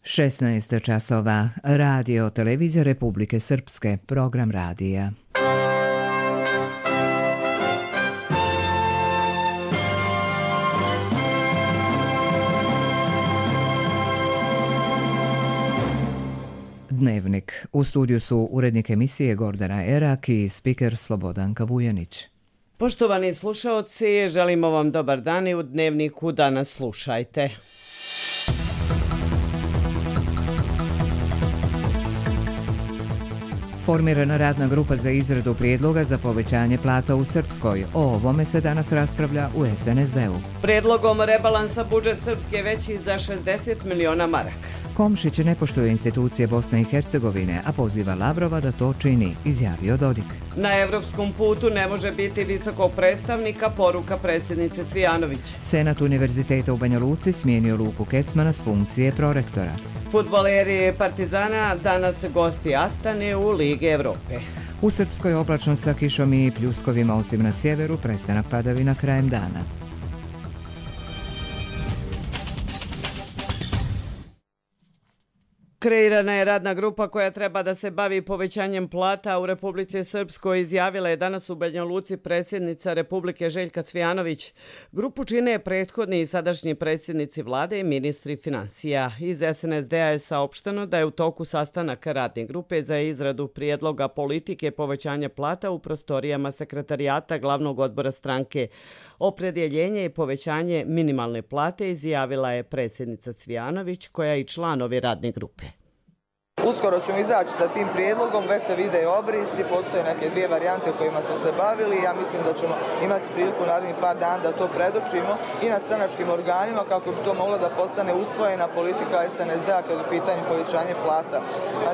16 časova. Radio Televizija Republike Srpske. Program radija. Dnevnik. U studiju su urednik emisije Gordana Erak i spiker Slobodanka Vujanić. Poštovani slušaoci, želimo vam dobar dan i u Dnevniku danas slušajte. Formirana radna grupa za izradu prijedloga za povećanje plata u Srpskoj. O ovome se danas raspravlja u SNSD-u. Prijedlogom rebalansa budžet Srpske je veći za 60 miliona maraka. Komšić ne poštuje institucije Bosne i Hercegovine, a poziva Lavrova da to čini, izjavio Dodik. Na evropskom putu ne može biti visokog predstavnika, poruka predsjednice Cvijanović. Senat Univerziteta u Banja Luci smijenio Luku Kecmana s funkcije prorektora. Fudbaleri Partizana danas gosti Astane u Ligi Evrope. U Srpskoj oblačno sa kišom i pljuskovima, osim na sjeveru, prestanak padavina krajem dana. Kreirana je radna grupa koja treba da se bavi povećanjem plata u Republici Srpskoj, izjavila je danas u Banja Luci predsjednica Republike Željka Cvijanović. Grupu čine prethodni i sadašnji predsjednici vlade i ministri finansija. Iz SNSD-a je saopšteno da je u toku sastanak radne grupe za izradu prijedloga politike povećanja plata u prostorijama sekretarijata glavnog odbora stranke. Opredjeljenje i povećanje minimalne plate izjavila je predsjednica Cvijanović, koja je i član ove radne grupe. Uskoro ćemo izaći sa tim prijedlogom, već se vide obrisi, postoje neke dvije varijante kojima smo se bavili. Ja mislim da ćemo imati priliku narednih par dana da to predočimo i na stranačkim organima kako bi to moglo da postane usvojena politika SNSD-a kad je u pitanju povećanje plata.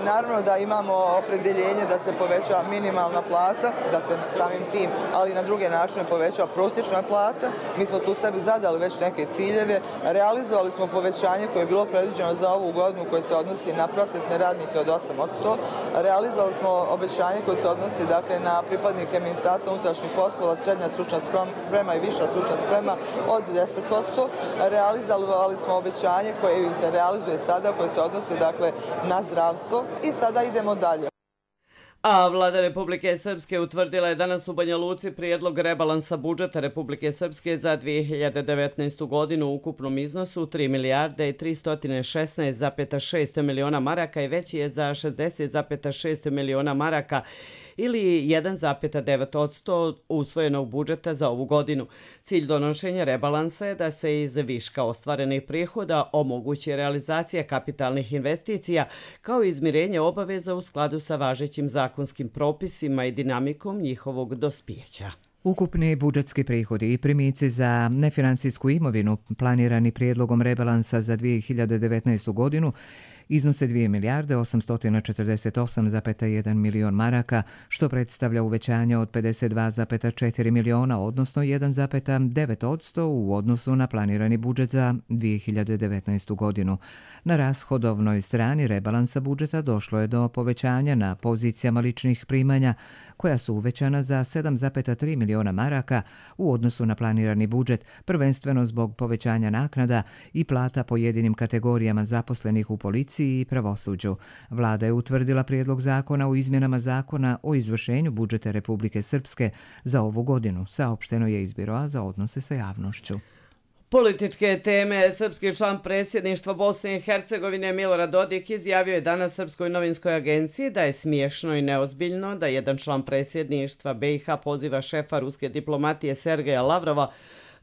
Naravno da imamo opredjeljenje da se poveća minimalna plata, da se samim tim, ali i na druge načine poveća prosječna plata. Mi smo tu sebi zadali već neke ciljeve, realizovali smo povećanje koje je bilo predviđeno za ovu godinu koje se odnosi na prosvjetne radnike od 8%. Realizovali smo obećanje koje se odnosi na pripadnike Ministarstva unutrašnjih poslova, srednja stručna sprema i viša stručna sprema od 10%. Realizovali smo obećanje koje se realizuje sada, koje se odnosi na zdravstvo i sada idemo dalje. A vlada Republike Srpske utvrdila je danas u Banja Luci prijedlog rebalansa budžeta Republike Srpske za 2019. godinu u ukupnom iznosu 3 milijarde i 316,6 miliona maraka i veći je za 60,6 miliona maraka ili 1,9% usvojenog budžeta za ovu godinu. Cilj donošenja rebalansa je da se iz viška ostvarenih prihoda omogući realizacija kapitalnih investicija kao i izmirenje obaveza u skladu sa važećim zakonskim propisima i dinamikom njihovog dospijeća. Ukupni budžetski prihodi i primici za nefinancijsku imovinu planirani prijedlogom rebalansa za 2019. godinu iznose 2 milijarde 848,1 milion maraka, što predstavlja uvećanje od 52,4 miliona, odnosno 1,9% u odnosu na planirani budžet za 2019. godinu. Na rashodovnoj strani rebalansa budžeta došlo je do povećanja na pozicijama ličnih primanja, koja su uvećana za 7,3 miliona maraka u odnosu na planirani budžet, prvenstveno zbog povećanja naknada i plata pojedinim kategorijama zaposlenih u policiji i pravosuđu. Vlada je utvrdila prijedlog zakona o izmjenama zakona o izvršenju budžeta Republike Srpske za ovu godinu, saopšteno je iz Biroa za odnose sa javnošću. Političke teme. Srpski član predsjedništva Bosne i Hercegovine Milorad Dodik izjavio je danas Srpskoj novinskoj agenciji da je smiješno i neozbiljno da jedan član predsjedništva BiH poziva šefa ruske diplomatije Sergeja Lavrova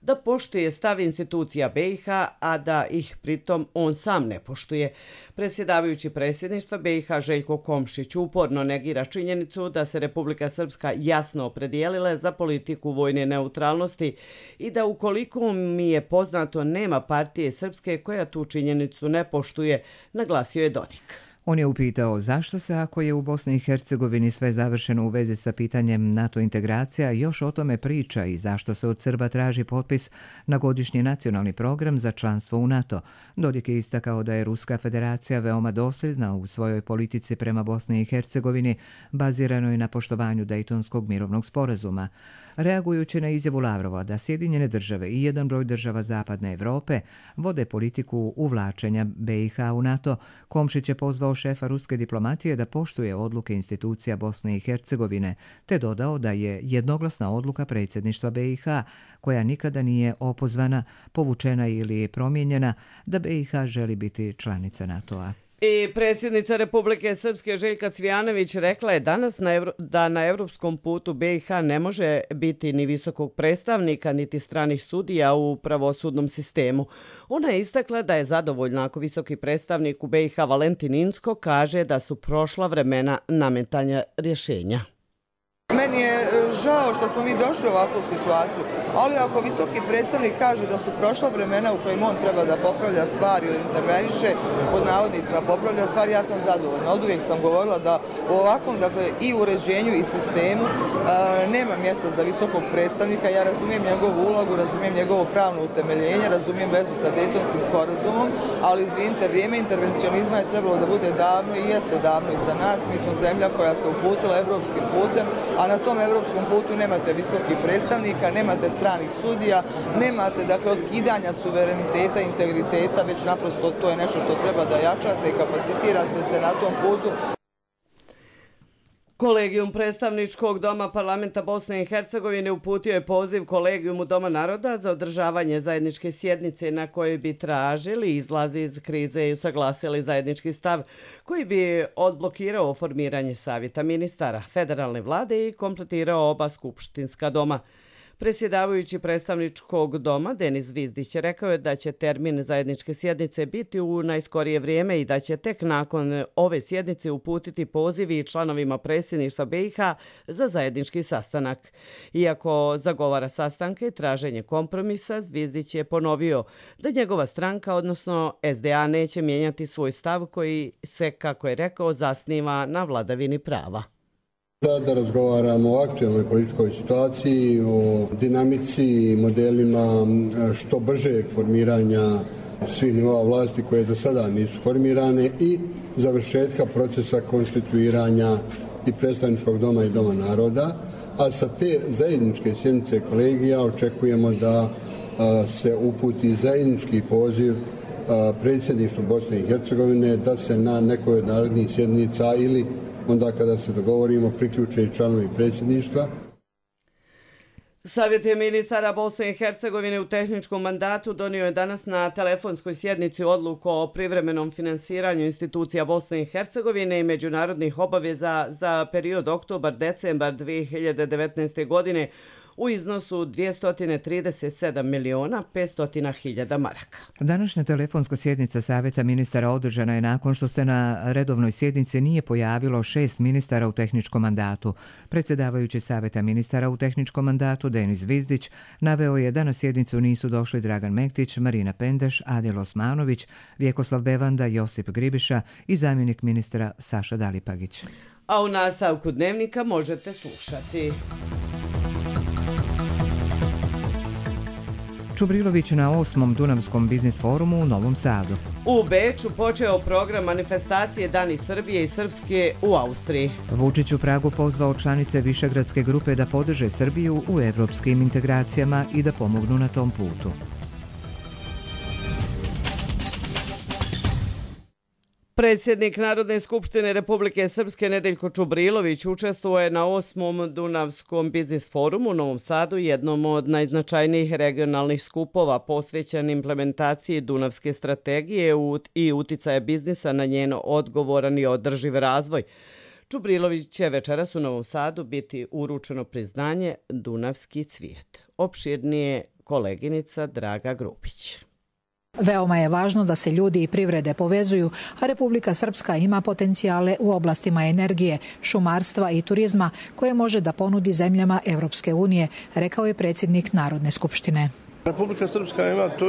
da poštuje stav institucija BiH, a da ih pritom on sam ne poštuje. Predsjedavajući predsjedništva BiH Željko Komšić uporno negira činjenicu da se Republika Srpska jasno opredijelila za politiku vojne neutralnosti i da ukoliko mi je poznato nema partije Srpske koja tu činjenicu ne poštuje, naglasio je Dodik. On je upitao zašto se, ako je u Bosni i Hercegovini sve završeno u vezi sa pitanjem NATO integracija, još o tome priča i zašto se od Srba traži potpis na godišnji nacionalni program za članstvo u NATO. Dodik je istakao da je Ruska federacija veoma dosljedna u svojoj politici prema Bosni i Hercegovini, baziranoj na poštovanju Dejtonskog mirovnog sporazuma. Reagujući na izjavu Lavrova da Sjedinjene države i jedan broj država Zapadne Evrope vode politiku uvlačenja BiH u NATO, Komšić je pozvao šefa ruske diplomatije da poštuje odluke institucija Bosne i Hercegovine, te dodao da je jednoglasna odluka predsjedništva BiH, koja nikada nije opozvana, povučena ili promijenjena, da BiH želi biti članica NATO-a. I predsjednica Republike Srpske Željka Cvijanović rekla je danas da na evropskom putu BiH ne može biti ni visokog predstavnika niti stranih sudija u pravosudnom sistemu. Ona je istakla da je zadovoljna ako visoki predstavnik u BiH Valentin Inzko kaže da su prošla vremena nametanja rješenja. Meni je žao što smo mi došli u ovakvu situaciju, ali ako visoki predstavnik kaže da su prošla vremena u kojim on treba da popravlja stvari ili interveniše, pod navodnicima popravlja stvari, ja sam zadovoljna. Od uvijek sam govorila da u ovakvom, dakle, i uređenju i sistemu nema mjesta za visokog predstavnika. Ja razumijem njegovu ulogu, razumijem njegovo pravno utemeljenje, razumijem vezu sa Dejtonskim sporazumom, ali izvinite, vrijeme intervencionizma je trebalo da bude davno i jeste davno iza nas. Mi smo zemlja koja se uputila evropskim putem, a na tom evropskom putu nemate visokih predstavnika, nemate stranih sudija, nemate, dakle, otkidanja suvereniteta, integriteta, već naprosto to je nešto što treba da jačate i kapacitirate se na tom putu. Kolegijum predstavničkog doma parlamenta Bosne i Hercegovine uputio je poziv Kolegijumu Doma naroda za održavanje zajedničke sjednice na kojoj bi tražili izlazi iz krize i usaglasili zajednički stav koji bi odblokirao formiranje savjeta ministara, federalne vlade i kompletirao oba skupštinska doma. Predsjedavajući predstavničkog doma Denis Zvizdić rekao je da će termin zajedničke sjednice biti u najskorije vrijeme i da će tek nakon ove sjednice uputiti pozivi članovima predsjedništva BiH za zajednički sastanak. Iako zagovara sastanke i traženje kompromisa, Zvizdić je ponovio da njegova stranka, odnosno SDA, neće mijenjati svoj stav koji se, kako je rekao, zasniva na vladavini prava. Da razgovaramo o aktualnoj političkoj situaciji, o dinamici i modelima što bržeg formiranja svih nivoa vlasti koje do sada nisu formirane i završetka procesa konstituiranja i predstavničkog doma i doma naroda. A sa te zajedničke sjednice kolegija očekujemo da se uputi zajednički poziv predsjedništvu Bosne i Hercegovine da se na nekoj od narodnih sjednica ili onda kada se dogovorimo priključe i članovi predsjedništva. Savjet ministara Bosne i Hercegovine u tehničkom mandatu donio je danas na telefonskoj sjednici odluku o privremenom finansiranju institucija Bosne i Hercegovine i međunarodnih obaveza za period oktobar-decembar 2019. godine u iznosu 237.500.000 maraka. Današnja telefonska sjednica Savjeta ministara održana je nakon što se na redovnoj sjednici nije pojavilo 6 ministara u tehničkom mandatu. Predsjedavajući Savjeta ministara u tehničkom mandatu Denis Zvizdić naveo je da na sjednicu nisu došli Dragan Mektić, Marina Pendeš, Adil Osmanović, Vjekoslav Bevanda, Josip Gribiša i zamjenik ministra Saša Dalipagić. A u nastavku dnevnika možete slušati. Čubrilović na 8. Dunavskom biznis forumu u Novom Sadu. U Beču počeo program manifestacije Dani Srbije i Srpske u Austriji. Vučić u Pragu pozvao članice Višegradske grupe da podrže Srbiju u evropskim integracijama i da pomognu na tom putu. Predsjednik Narodne skupštine Republike Srpske Nedeljko Čubrilović učestvuje na 8. Dunavskom biznis forumu u Novom Sadu, jednom od najznačajnijih regionalnih skupova posvećen implementaciji Dunavske strategije i uticaja biznisa na njen odgovoran i održiv razvoj. Čubrilović će večeras u Novom Sadu biti uručeno priznanje Dunavski cvijet. Opširnije koleginica Draga Grupić. Veoma je važno da se ljudi i privrede povezuju, a Republika Srpska ima potencijale u oblastima energije, šumarstva i turizma koje može da ponudi zemljama Evropske unije, rekao je predsjednik Narodne skupštine. Republika Srpska ima tu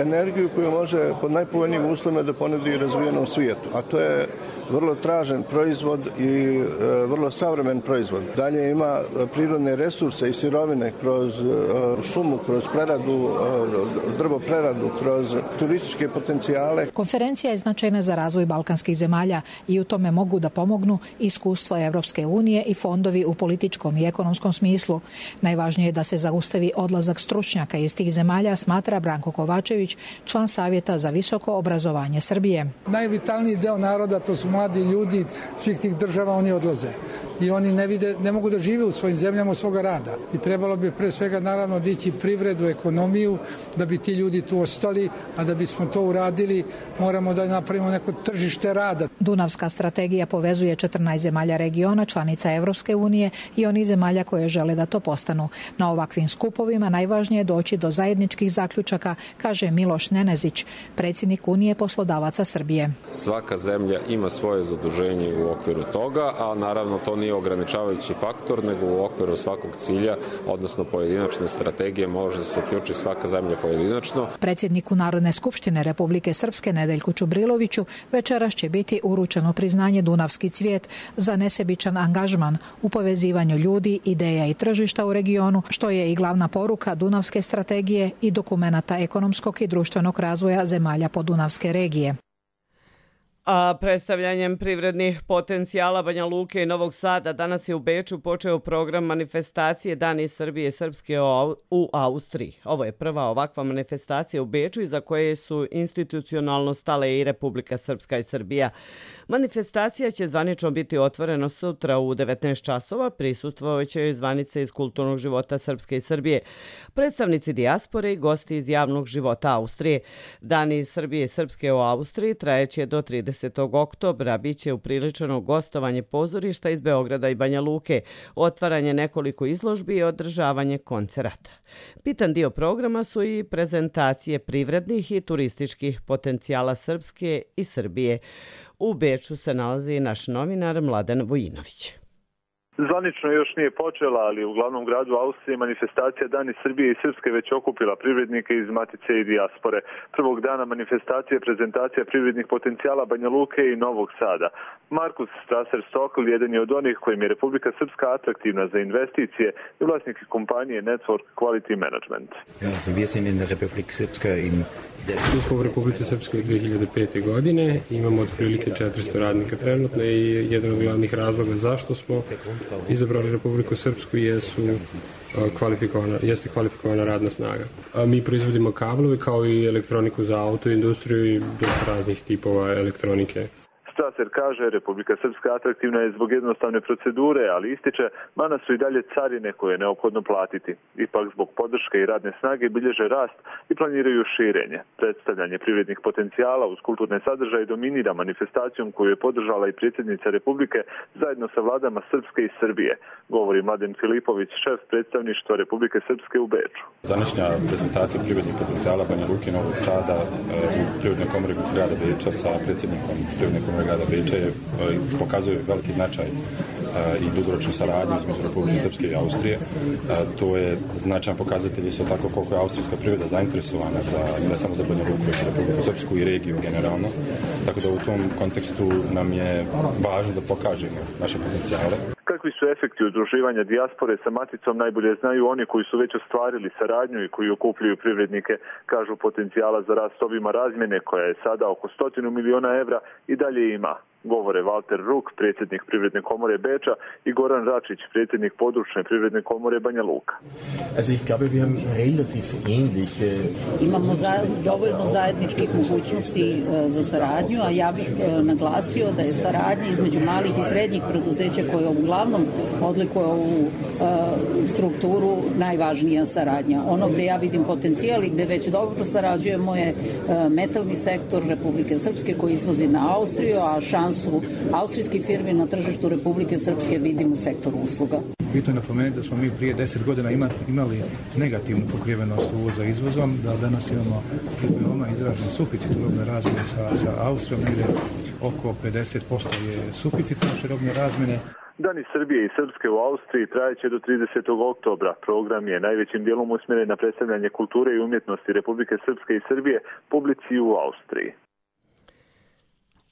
energiju koju može pod najpovoljnijim uslovima da ponudi razvijenom svijetu, a to je vrlo tražen proizvod i vrlo savremen proizvod. Dalje ima prirodne resurse i sirovine kroz šumu, kroz preradu, drvopreradu, kroz turističke potencijale. Konferencija je značajna za razvoj balkanskih zemalja i u tome mogu da pomognu iskustvo Evropske unije i fondovi u političkom i ekonomskom smislu. Najvažnije je da se zaustavi odlazak stručnjaka iz tih zemalja, smatra Branko Kovačević, član Savjeta za visoko obrazovanje Srbije. Najvitalniji deo naroda, to su mladi ljudi svih tih država, oni odlaze. I oni ne mogu da žive u svojim zemljama od svoga rada. I trebalo bi pre svega naravno dići privredu, ekonomiju, da bi ti ljudi tu ostali, a da bismo to uradili moramo da napravimo neko tržište rada. Dunavska strategija povezuje 14 zemalja regiona, članica Evropske unije i onih zemalja koje žele da to postanu. Na ovakvim skupovima najvažnije je doći do zajedničkih zaključaka, kaže Miloš Nenezić, predsjednik Unije poslodavaca Srbije. Svaka zemlja ima svoje zaduženje u okviru toga, a naravno to nije ograničavajući faktor, nego u okviru svakog cilja, odnosno pojedinačne strategije, može da se uključi svaka zemlja pojedinačno. Predsjedniku Narodne skupštine Republike Srpske Nedeljku Čubriloviću večeras će biti uručeno priznanje Dunavski cvijet za nesebičan angažman u povezivanju ljudi, ideja i tržišta u regionu, što je i glavna poruka Dunavske strategije i dokumenata ekonomskog i društvenog razvoja zemalja podunavske regije. A predstavljanjem privrednih potencijala Banja Luke i Novog Sada danas je u Beču počeo program manifestacije Dani Srbije i Srpske u Austriji. Ovo je prva ovakva manifestacija u Beču iza koje su institucionalno stale i Republika Srpska i Srbija. Manifestacija će zvanično biti otvorena sutra u 19 časova. Prisustvovaće joj zvanice iz kulturnog života Srpske i Srbije, predstavnici dijaspore i gosti iz javnog života Austrije. Dani Srbije i Srpske u Austriji trajeće do 30. oktobra. Biće upriličeno gostovanje pozorišta iz Beograda i Banja Luke, otvaranje nekoliko izložbi i održavanje koncerata. Bitan dio programa su i prezentacije privrednih i turističkih potencijala Srpske i Srbije. U Beču se nalazi naš novinar Mladen Vujinović. Zvanično još nije počela, ali u glavnom gradu Austrije manifestacija Dani Srbije i Srpske već okupila privrednike iz Matice i dijaspore. Prvog dana manifestacije je prezentacija privrednih potencijala Banja Luke i Novog Sada. Markus Strasser-Stokl jedan je od onih kojim je Republika Srpska atraktivna za investicije i vlasnik kompanije Network Quality Management. Tu smo u Republici Srpskoj 2005. godine, imamo otprilike 400 radnika trenutno i jedan od glavnih razloga zašto smo izabrali Republiku Srpsku jeste kvalifikovana radna snaga. Mi proizvodimo kablove kao i elektroniku za auto industriju i dosta raznih tipova elektronike. Strasser kaže, Republika Srpska atraktivna je zbog jednostavne procedure, ali ističe, mana su i dalje carine koje je neophodno platiti. Ipak zbog podrške i radne snage bilježe rast i planiraju širenje. Predstavljanje privrednih potencijala uz kulturne sadržaje dominira manifestacijom koju je podržala i predsjednica Republike zajedno sa vladama Srpske i Srbije, govori Mladen Filipović, šef predstavništva Republike Srpske u Beču. Današnja prezentacija privrednih potencijala Banja Luke i Novog Sada u Privrednoj komori grada Beča sa predsjednikom Privredne komore grada Beča pokazuje veliki značaj i dugoročnu saradnju između Republike Srpske i Austrije. To je značajan pokazatelj isto tako koliko je austrijska privreda zainteresovana ne samo za Banja Luku, već i Republiku Srpsku i regiju generalno. Tako da u tom kontekstu nam je važno da pokažemo naše potencijale. Kakvi su efekti udruživanja dijaspore sa Maticom najbolje znaju oni koji su već ostvarili saradnju i koji okupljaju privrednike. Kažu potencijala za rast obima razmjene koja je sada oko 100 miliona evra i dalje ima. Govore Walter Ruk, predsjednik Privredne komore Beča i Goran Račić, predsjednik područne Privredne komore Banja Luka. Imamo dovoljno zajedničkih mogućnosti za saradnju, a ja bih naglasio da je saradnja između malih i srednjih preduzeća koje uglavnom odlikuje ovu strukturu najvažnija saradnja. Ono gdje ja vidim potencijal i gdje već dobro sarađujemo je metalni sektor Republike Srpske koji izvozi na Austriju, a šansu austrijskih firmi na tržištu Republike Srpske vidim u sektoru usluga. Bitno je napomenuti da smo mi prije 10 godina imali negativnu pokrivenost uvoza izvozom, da danas imamo veoma izražen suficit robne razmjene sa Austrijom, negdje oko 50% je suficit naše robne razmjene. Dani Srbije i Srpske u Austriji trajeće do 30. oktobra. Program je najvećim dijelom usmjeren na predstavljanje kulture i umjetnosti Republike Srpske i Srbije publici u Austriji.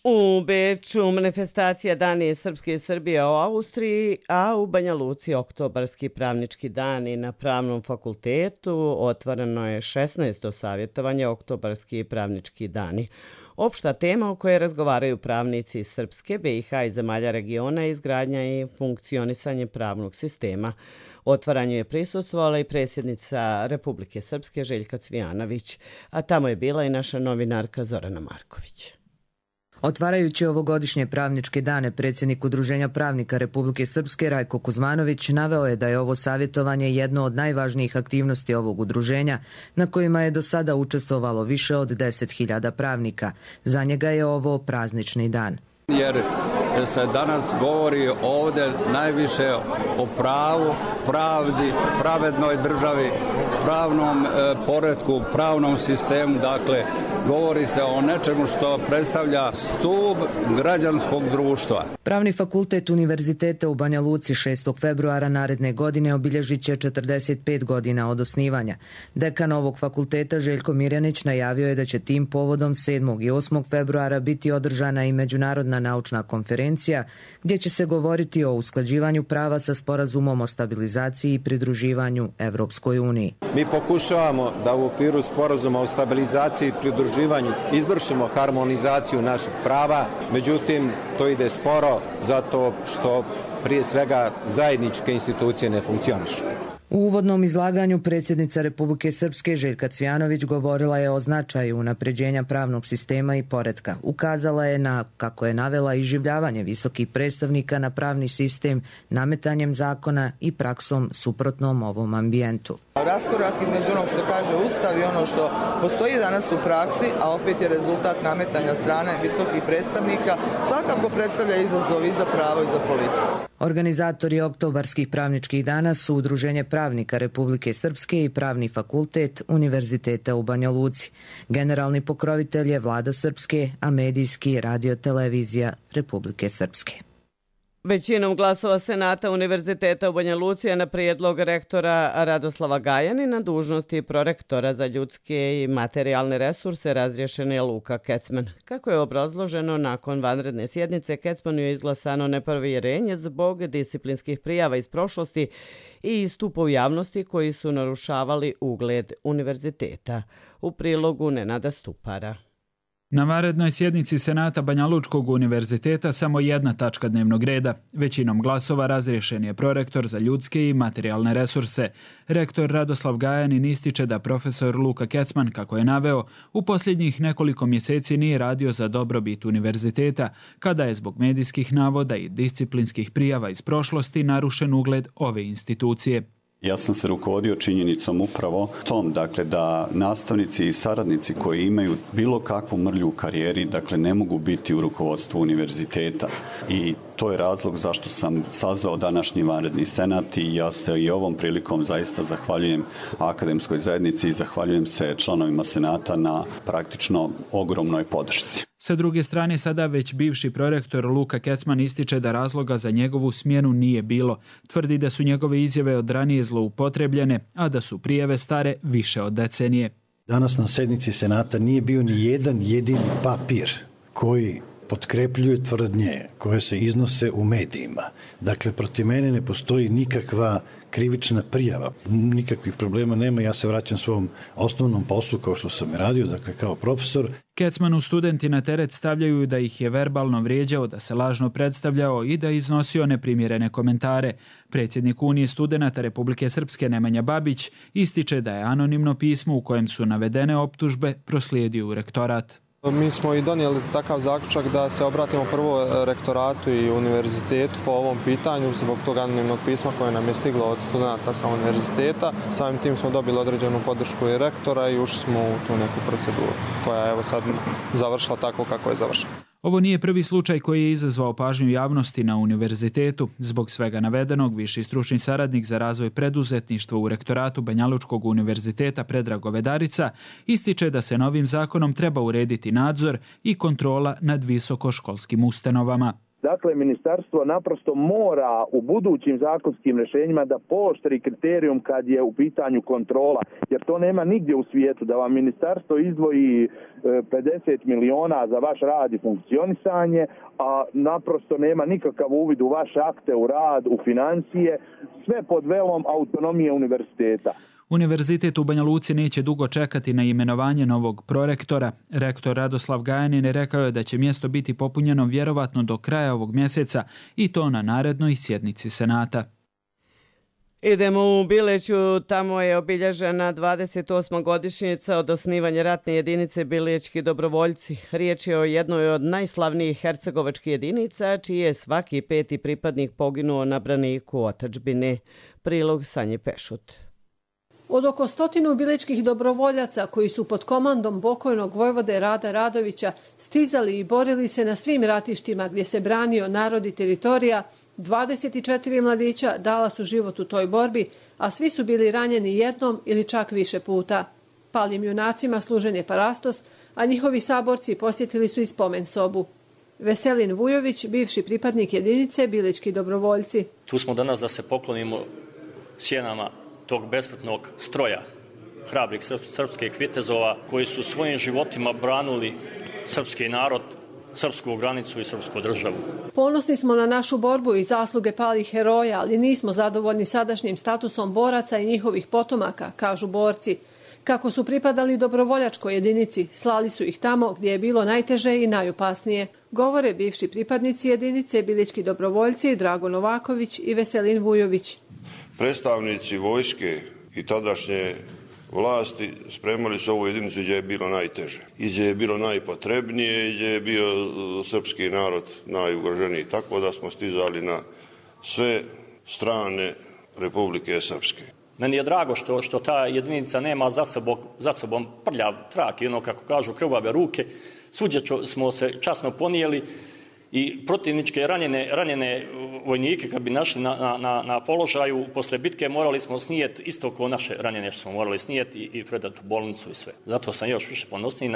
U Beču manifestacija Dani Srpske i Srbije u Austriji, a u Banja Luci oktobarski pravnički dani. Na Pravnom fakultetu otvoreno je 16. savjetovanje oktobarski pravnički dani. Opšta tema o kojoj razgovaraju pravnici iz Srpske, BiH i zemalja regiona je izgradnja i funkcionisanje pravnog sistema. Otvaranju je prisustvovala i predsjednica Republike Srpske Željka Cvijanović, a tamo je bila i naša novinarka Zorana Marković. Otvarajući ovogodišnje pravničke dane, predsjednik Udruženja pravnika Republike Srpske Rajko Kuzmanović naveo je da je ovo savjetovanje jedno od najvažnijih aktivnosti ovog udruženja, na kojima je do sada učestvovalo više od 10.000 pravnika. Za njega je ovo praznični dan. Jer se danas govori ovdje najviše o pravu, pravdi, pravednoj državi, pravnom poretku, pravnom sistemu. Dakle, govori se o nečemu što predstavlja stup građanskog društva. Pravni fakultet Univerziteta u Banja Luci 6. februara naredne godine obilježit će 45 godina od osnivanja. Dekan ovog fakulteta Željko Mirjanić najavio je da će tim povodom 7. i 8. februara biti održana i međunarodna naučna konferencija gdje će se govoriti o usklađivanju prava sa sporazumom o stabilizaciji i pridruživanju Evropskoj uniji. Mi pokušavamo da u okviru sporazuma o stabilizaciji i pridruživanju izvršimo harmonizaciju naših prava, međutim to ide sporo zato što prije svega zajedničke institucije ne funkcionišu. U uvodnom izlaganju predsjednica Republike Srpske Željka Cvijanović govorila je o značaju unapređenja pravnog sistema i poretka. Ukazala je na, kako je navela, iživljavanje visokih predstavnika na pravni sistem, nametanjem zakona i praksom suprotnom ovom ambijentu. Raskorak između onog što kaže Ustav i ono što postoji danas u praksi, a opet je rezultat nametanja strane visokih predstavnika, svakako predstavlja izazov i za pravo i za politiku. Organizatori oktobarskih pravničkih dana su Udruženje pravnika Republike Srpske i Pravni fakultet Univerziteta u Banja Luci. Generalni pokrovitelj je Vlada Srpske, a medijski Radio-televizija Republike Srpske. Većinom glasova Senata Univerziteta u Banja Luci na prijedlog rektora Radoslava Gajani na dužnosti prorektora za ljudske i materijalne resurse razriješen je Luka Kecman. Kako je obrazloženo, nakon vanredne sjednice Kecmanu je izglasano nepovjerenje zbog disciplinskih prijava iz prošlosti i istupa u javnosti koji su narušavali ugled univerziteta. U prilogu Nenada Stupara. Na vanrednoj sjednici Senata Banja Lučkog univerziteta samo jedna tačka dnevnog reda. Većinom glasova razriješen je prorektor za ljudske i materijalne resurse. Rektor Radoslav Gajanin ističe da profesor Luka Kecman, kako je naveo, u posljednjih nekoliko mjeseci nije radio za dobrobit univerziteta, kada je zbog medijskih navoda i disciplinskih prijava iz prošlosti narušen ugled ove institucije. Ja sam se rukovodio činjenicom upravo tom, dakle, da nastavnici i saradnici koji imaju bilo kakvu mrlju u karijeri, dakle, ne mogu biti u rukovodstvu univerziteta. I to je razlog zašto sam sazvao današnji vanredni senat i ja se i ovom prilikom zaista zahvaljujem akademskoj zajednici i zahvaljujem se članovima senata na praktično ogromnoj podršci. Sa druge strane, sada već bivši prorektor Luka Kecman ističe da razloga za njegovu smjenu nije bilo. Tvrdi da su njegove izjave od ranije zloupotrebljene, a da su prijave stare više od decenije. Danas na sjednici senata nije bio ni jedan jedini papir koji potkrepljuje tvrdnje koje se iznose u medijima. Dakle, protiv mene ne postoji nikakva krivična prijava, nikakvih problema nema, ja se vraćam svom osnovnom poslu kao što sam radio, dakle kao profesor. Kecmanu studenti na teret stavljaju da ih je verbalno vrijeđao, da se lažno predstavljao i da iznosio neprimjerene komentare. Predsjednik Unije studenata Republike Srpske Nemanja Babić ističe da je anonimno pismo u kojem su navedene optužbe proslijedio u rektorat. Mi smo i donijeli takav zaključak da se obratimo prvo rektoratu i univerzitetu po ovom pitanju zbog tog anonimnog pisma koje nam je stiglo od studenta sa univerziteta. Samim tim smo dobili određenu podršku i rektora i ušli smo u tu neku proceduru koja je evo sad završila tako kako je završila. Ovo nije prvi slučaj koji je izazvao pažnju javnosti na univerzitetu. Zbog svega navedenog, viši stručni saradnik za razvoj preduzetništva u rektoratu Banja Lučkog univerziteta Predrag Govedarica ističe da se novim zakonom treba urediti nadzor i kontrola nad visokoškolskim ustanovama. Dakle, ministarstvo naprosto mora u budućim zakonskim rješenjima da pooštri kriterijum kad je u pitanju kontrola, jer to nema nigdje u svijetu, da vam ministarstvo izdvoji 50 miliona za vaš rad i funkcionisanje, a naprosto nema nikakav uvid u vaše akte, u rad, u financije, sve pod velom autonomije univerziteta. Univerzitet u Banja Luci neće dugo čekati na imenovanje novog prorektora. Rektor Radoslav Gajanin rekao je da će mjesto biti popunjeno vjerovatno do kraja ovog mjeseca i to na narednoj sjednici Senata. Idemo u Bileću, tamo je obilježena 28. godišnjica od osnivanja ratne jedinice Bilećki dobrovoljci. Riječ je o jednoj od najslavnijih hercegovačkih jedinica, čiji je svaki 5. pripadnik poginuo na braniku otadžbine. Prilog Sanje Pešut. Od oko 100 bilećkih dobrovoljaca koji su pod komandom pokojnog vojvode Rada Radovića stizali i borili se na svim ratištima gdje se branio narod i teritorija, 24 mladića dala su život u toj borbi, a svi su bili ranjeni jednom ili čak više puta. Palim junacima služen je parastos, a njihovi saborci posjetili su i spomen sobu. Veselin Vujović, bivši pripadnik jedinice Bilećki dobrovoljci. Tu smo danas da se poklonimo sjenama tog besmrtnog stroja, hrabrih srpskih vitezova koji su svojim životima branili srpski narod, srpsku granicu i srpsku državu. Ponosni smo na našu borbu i zasluge palih heroja, ali nismo zadovoljni sadašnjim statusom boraca i njihovih potomaka, kažu borci. Kako su pripadali dobrovoljačkoj jedinici, slali su ih tamo gdje je bilo najteže i najopasnije. Govore bivši pripadnici jedinice Bilećki dobrovoljci Drago Novaković i Veselin Vujović. Predstavnici vojske i tadašnje vlasti spremali su ovu jedinicu gdje je bilo najteže, i gdje je bilo najpotrebnije, i gdje je bio srpski narod najugroženiji. Tako da smo stizali na sve strane Republike Srpske. Meni je drago što ta jedinica nema za sobom prljav trak i ono, kako kažu, krvave ruke. Svuđe smo se časno ponijeli i protivničke ranjene vojnike kad bi našli na položaju posle bitke morali smo snijeti isto kao naše ranjene što smo morali snijeti i predati u bolnicu i sve. Zato sam još više ponosniji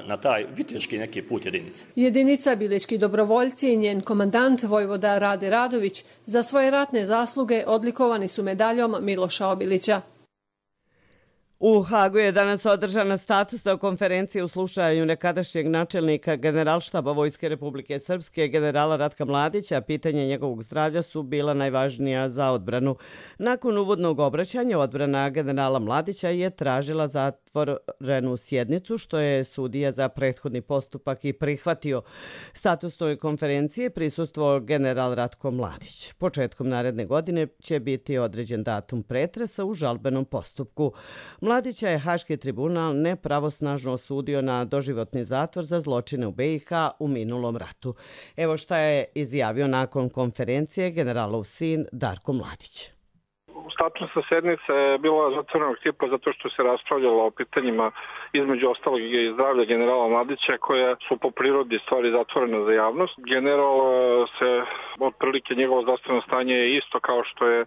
na taj viteški neki put jedinice. Jedinica Bilećki dobrovoljci i njen komandant vojvoda Rade Radović za svoje ratne zasluge odlikovani su medaljom Miloša Obilića. U Hagu je danas održana statusna konferencija u slušanju nekadašnjeg načelnika Generalštaba Vojske Republike Srpske, generala Ratka Mladića. Pitanje njegovog zdravlja su bila najvažnija za odbranu. Nakon uvodnog obraćanja, odbrana generala Mladića je tražila zatvorenu sjednicu, što je sudija za prethodni postupak i prihvatio. Statusnoj konferenciji prisustvovao general Ratko Mladić. Početkom naredne godine će biti određen datum pretresa u žalbenom postupku. Mladića je Haški tribunal nepravosnažno osudio na doživotni zatvor za zločine u BiH u minulom ratu. Evo šta je izjavio nakon konferencije generalov sin Darko Mladić. Statusna sjednica je bila zatvorenog tipa zato što se raspravljalo o pitanjima između ostalog i zdravlja generala Mladića, koja su po prirodi stvari zatvorene za javnost. General se, otprilike njegovo zdravstveno stanje je isto kao što je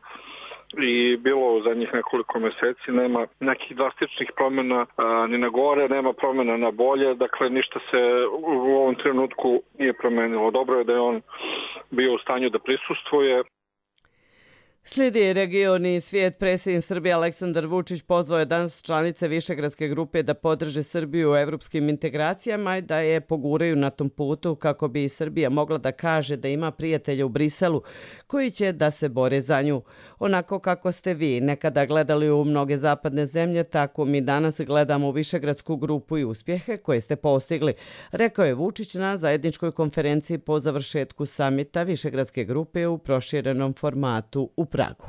i bilo u zadnjih nekoliko mjeseci. Nema nekih drastičnih promjena ni na gore, nema promjena na bolje, dakle ništa se u ovom trenutku nije promenilo. Dobro je da je on bio u stanju da prisustvuje. Slijedi region i svijet. Predsjednik Srbije Aleksandar Vučić pozvao je danas članice Višegradske grupe da podrže Srbiju u evropskim integracijama i da je poguraju na tom putu kako bi Srbija mogla da kaže da ima prijatelja u Briselu koji će da se bore za nju. Onako kako ste vi nekada gledali u mnoge zapadne zemlje, tako mi danas gledamo u Višegradsku grupu i uspjehe koje ste postigli, rekao je Vučić na zajedničkoj konferenciji po završetku samita Višegradske grupe u proširenom formatu u Pragu.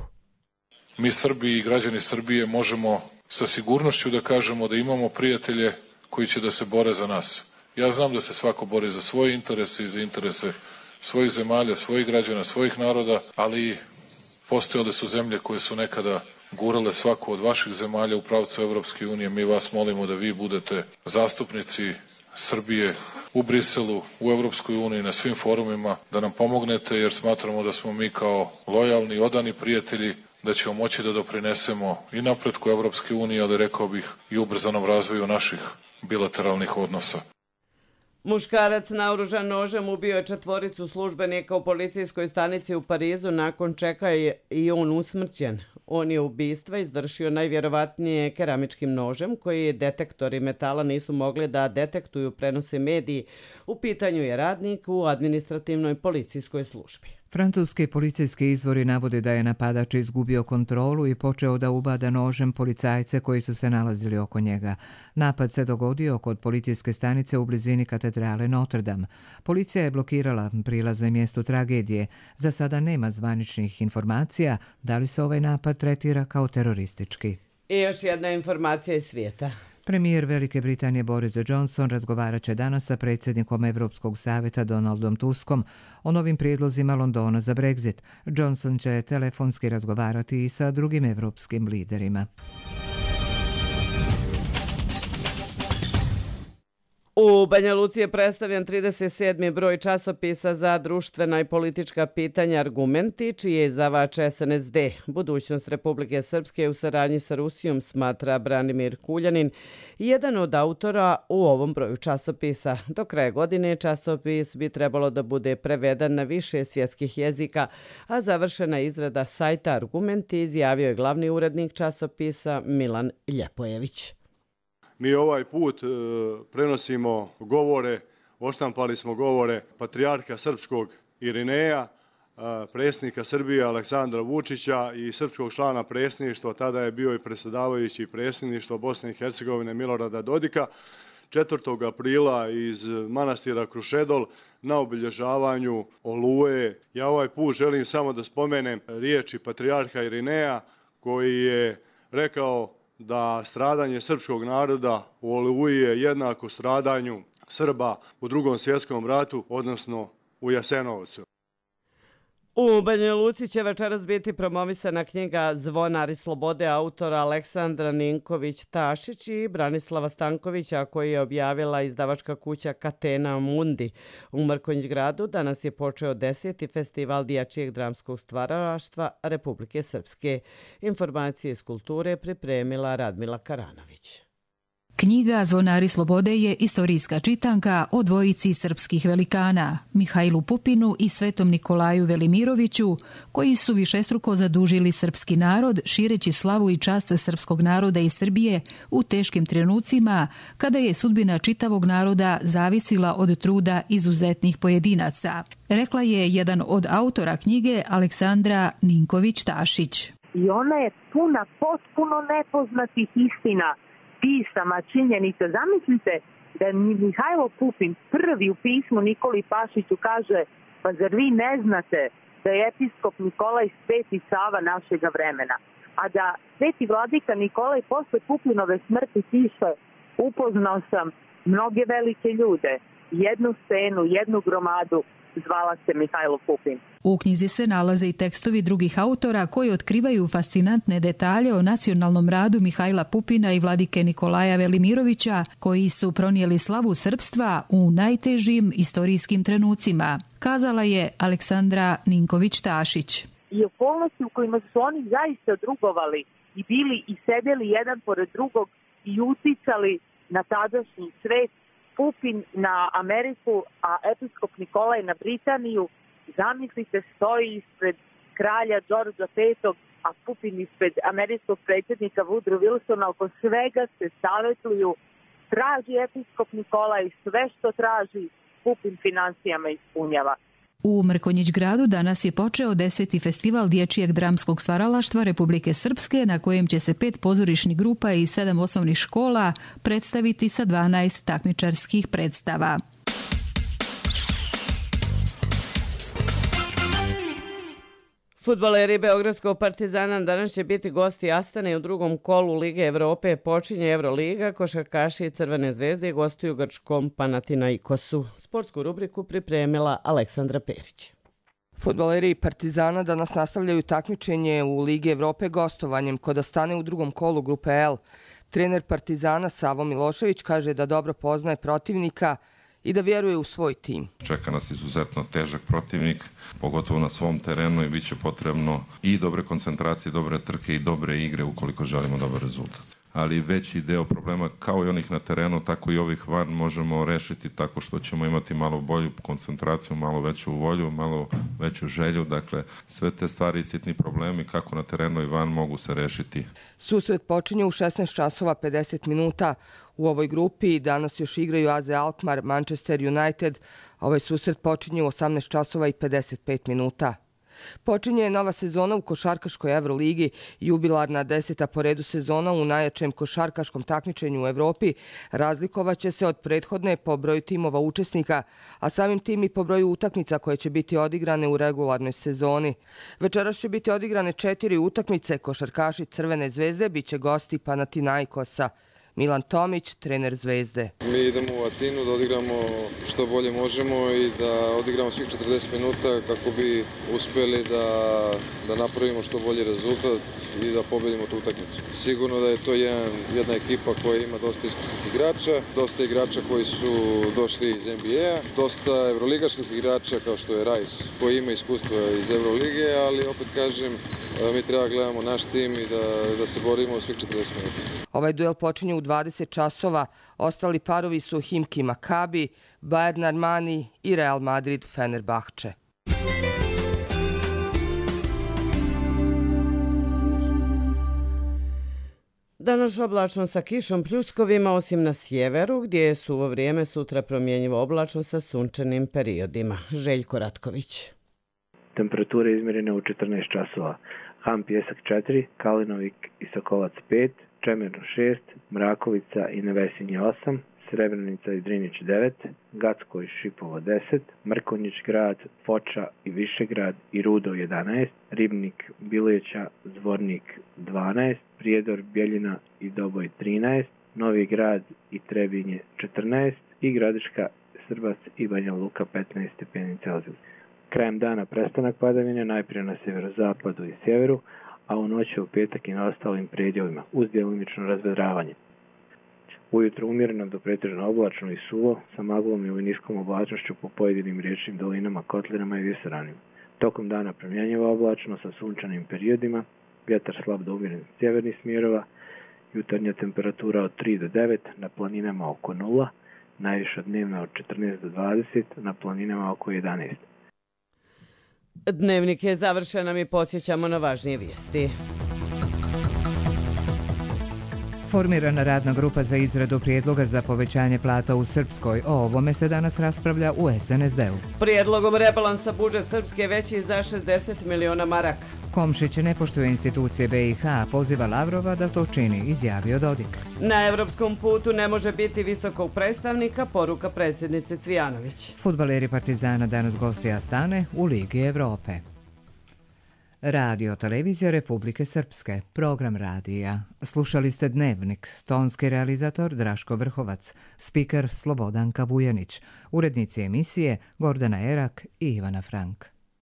Mi Srbi i građani Srbije možemo sa sigurnošću da kažemo da imamo prijatelje koji će da se bore za nas. Ja znam da se svako bori za svoje interese i za interese svojih zemalja, svojih građana, svojih naroda, ali postojale su zemlje koje su nekada gurale svaku od vaših zemalja u pravcu Evropske unije. Mi vas molimo da vi budete zastupnici Srbije u Briselu, u Evropskoj uniji, na svim forumima, da nam pomognete, jer smatramo da smo mi kao lojalni i odani prijatelji da ćemo moći da doprinesemo i napretku Evropske unije, ali rekao bih i ubrzanom razvoju naših bilateralnih odnosa. Muškarac naoružan nožem ubio je 4 službenika u policijskoj stanici u Parizu, nakon čega je i on usmrćen. On je ubistva izvršio najvjerovatnije keramičkim nožem, koji detektori metala nisu mogli da detektuju, prenose mediji. U pitanju je radnik u administrativnoj policijskoj službi. Francuski policijski izvori navode da je napadač izgubio kontrolu i počeo da ubada nožem policajce koji su se nalazili oko njega. Napad se dogodio kod policijske stanice u blizini katedrale Notre Dame. Policija je blokirala prilaz na mjestu tragedije. Za sada nema zvaničnih informacija da li se ovaj napad tretira kao teroristički. I još jedna informacija iz svijeta. Premijer Velike Britanije Boris Johnson razgovarat će danas sa predsjednikom Europskog savjeta Donaldom Tuskom o novim prijedlozima Londona za Brexit. Johnson će telefonski razgovarati i sa drugim europskim liderima. U Banja Luci je predstavljen 37. broj časopisa za društvena i politička pitanja Argumenti, čiji je izdavač SNSD. Budućnost Republike Srpske u saradnji sa Rusijom, smatra Branimir Kuljanin, jedan od autora u ovom broju časopisa. Do kraja godine časopis bi trebalo da bude prevedan na više svjetskih jezika, a završena izrada sajta Argumenti izjavio je glavni urednik časopisa Milan Ljepojević. Mi ovaj put prenosimo govore, odštampali smo govore patrijarha srpskog Irineja, predsjednika Srbije Aleksandra Vučića i srpskog člana predsjedništva, tada je bio i predsjedavajući predsjedništva Bosne i Hercegovine Milorada Dodika, 4. aprila iz manastira Krušedol na obilježavanju Oluje. Ja ovaj put želim samo da spomenem riječi patrijarha Irineja, koji je rekao da stradanje srpskog naroda u Oluji je jednako stradanju Srba u Drugom svjetskom ratu, odnosno u Jasenovcu. U Banja Luci će večeras biti promovisana knjiga Zvonari slobode autora Aleksandra Ninković-Tašić i Branislava Stankovića, koji je objavila izdavačka kuća Catena Mundi. U Mrkonjić gradu danas je počeo 10. festival dječjeg dramskog stvaralaštva Republike Srpske. Informacije iz kulture pripremila Radmila Karanović. Knjiga Zvonari slobode je istorijska čitanka o dvojici srpskih velikana, Mihajlu Pupinu i Svetom Nikolaju Velimiroviću, koji su višestruko zadužili srpski narod, šireći slavu i čast srpskog naroda i Srbije u teškim trenucima, kada je sudbina čitavog naroda zavisila od truda izuzetnih pojedinaca. Rekla je jedan od autora knjige, Aleksandra Ninković-Tašić. I ona je puna potpuno nepoznatih istina, pisama, činjenica. Zamislite da Mihajlo Pupin prvi u pismu Nikoli Pašiću kaže: pa zar vi ne znate da je episkop Nikolaj Sveti Sava našega vremena, a da Sveti vladika Nikolaj posle Pupinove smrti piše: upoznao sam mnoge velike ljude, jednu scenu, jednu gromadu, zvala se Mihajlo Pupin. U knjizi se nalaze i tekstovi drugih autora koji otkrivaju fascinantne detalje o nacionalnom radu Mihajla Pupina i vladike Nikolaja Velimirovića, koji su pronijeli slavu srpstva u najtežim istorijskim trenucima, kazala je Aleksandra Ninković-Tašić. I okolnosti u kojima su oni zaista drugovali i bili i sedeli jedan pored drugog i uticali na tadašnji svet, Pupin na Ameriku, a episkop Nikolaj na Britaniju, zamislite, stoji ispred kralja Đorđa V, a Pupin ispred američkog predsjednika Woodrow Wilsona, oko svega se savjetuju, traži episkop Nikolaj sve što traži, Pupin financijama ispunjava. U Mrkonjić gradu danas je počeo 10. festival dječjeg dramskog stvaralaštva Republike Srpske, na kojem će se 5 pozorišnih grupa i 7 osnovnih škola predstaviti sa 12 takmičarskih predstava. Fudbaleri Beogradskog Partizana danas će biti gosti Astane u drugom kolu Lige Evrope. Počinje Euroliga, košarkaši i Crvene zvezde gostuju grčkom Panathinaikosu. Sportsku rubriku pripremila Aleksandra Perić. Fudbaleri Partizana danas nastavljaju takmičenje u Ligi Evrope gostovanjem kod Astane u drugom kolu grupe L. Trener Partizana Savo Milošević kaže da dobro poznaje protivnika i da vjeruje u svoj tim. Čeka nas izuzetno težak protivnik, pogotovo na svom terenu, i bit će potrebno i dobre koncentracije, dobre trke i dobre igre ukoliko želimo dobar rezultat. ali veći deo problema kao i onih na terenu, tako i ovih van možemo rešiti tako što ćemo imati malo bolju koncentraciju, malo veću volju, malo veću želju. Dakle, sve te stvari i sitni problemi kako na terenu i van mogu se rešiti. Susret počinje u 16 časova 50 minuta. U ovoj grupi danas još igraju AZ Alkmaar, Manchester United. Ovaj susret počinje u 18 časova i 55 minuta. Počinje nova sezona u košarkaškoj Euroligi, jubilarna 10. po redu sezona u najjačem košarkaškom takmičenju u Evropi razlikovaće se od prethodne po broju timova učesnika, a samim tim i po broju utakmica koje će biti odigrane u regularnoj sezoni. Večeras će biti odigrane 4 utakmice, košarkaši Crvene zvezde biće gosti Panathinaikosa. Milan Tomić, trener Zvezde. Mi idemo u Atinu da odigramo što bolje možemo i da odigramo svih 40 minuta kako bi uspeli da napravimo što bolji rezultat i da pobedimo tu utakmicu. Sigurno da je to jedna ekipa koja ima dosta iskusnih igrača, dosta igrača koji su došli iz NBA, dosta evroligaških igrača kao što je Rajs koji ima iskustva iz Evrolige, ali opet kažem, mi treba gledamo naš tim i da se borimo svih 40 minuta. Ovaj duel počinje u 20 časova. Ostali parovi su Himki Makabi, Bayern Armani i Real Madrid Fenerbahče. Danas oblačno sa kišom pljuskovima, osim na sjeveru, gdje je suvo vrijeme, sutra promjenjivo oblačno sa sunčanim periodima. Željko Ratković. Temperature izmjerene u 14 časova. Han Pjesak 4, Kalinovik i Sokolac 5, Čemerno 6, Mrakovica i Nevesinje 8, Srebrenica i Drinić 9, Gacko i Šipovo 10, Mrkonjić grad, Foča i Višegrad i Rudo 11, Ribnik, Bileća, Zvornik 12, Prijedor, Bjeljina i Doboj 13, Novi grad i Trebinje 14 i Gradiška, Srbac i Banja Luka 15 stepeni Celzijus. Krajem dana prestanak padavine, najprije na sjeverozapadu i sjeveru, a u noći u petak i na ostalim predjelima, uz djelomično razvedravanje. Ujutro umjereno do pretežno oblačno i suvo, sa maglom ili niskom oblačnošću po pojedinim riječnim dolinama, kotlinama i visoranima. Tokom dana promjenjiva oblačno sa sunčanim periodima, vjetar slab do umjeren sjevernih smjerova, jutarnja temperatura od 3 do 9, na planinama oko 0, najviša dnevna od 14 do 20, na planinama oko 11. Dnevnik je završen, a mi podsjećamo na važnije vijesti. Formirana radna grupa za izradu prijedloga za povećanje plata u Srpskoj. O ovome se danas raspravlja u SNSD-u. Prijedlogom rebalansa budžet Srpske veći za 60 miliona maraka. Komšić ne poštuje institucije BiH, poziva Lavrova da to čini, izjavio Dodik. Na evropskom putu ne može biti visokog predstavnika, poruka predsjednice Cvijanović. Fudbaleri Partizana danas gosti Astane u Ligi Evrope. Radio Televizija Republike Srpske, program radija. Slušali ste Dnevnik, tonski realizator Draško Vrhovac, spiker Slobodanka Vujanić, urednici emisije Gordana Erak i Ivana Frank.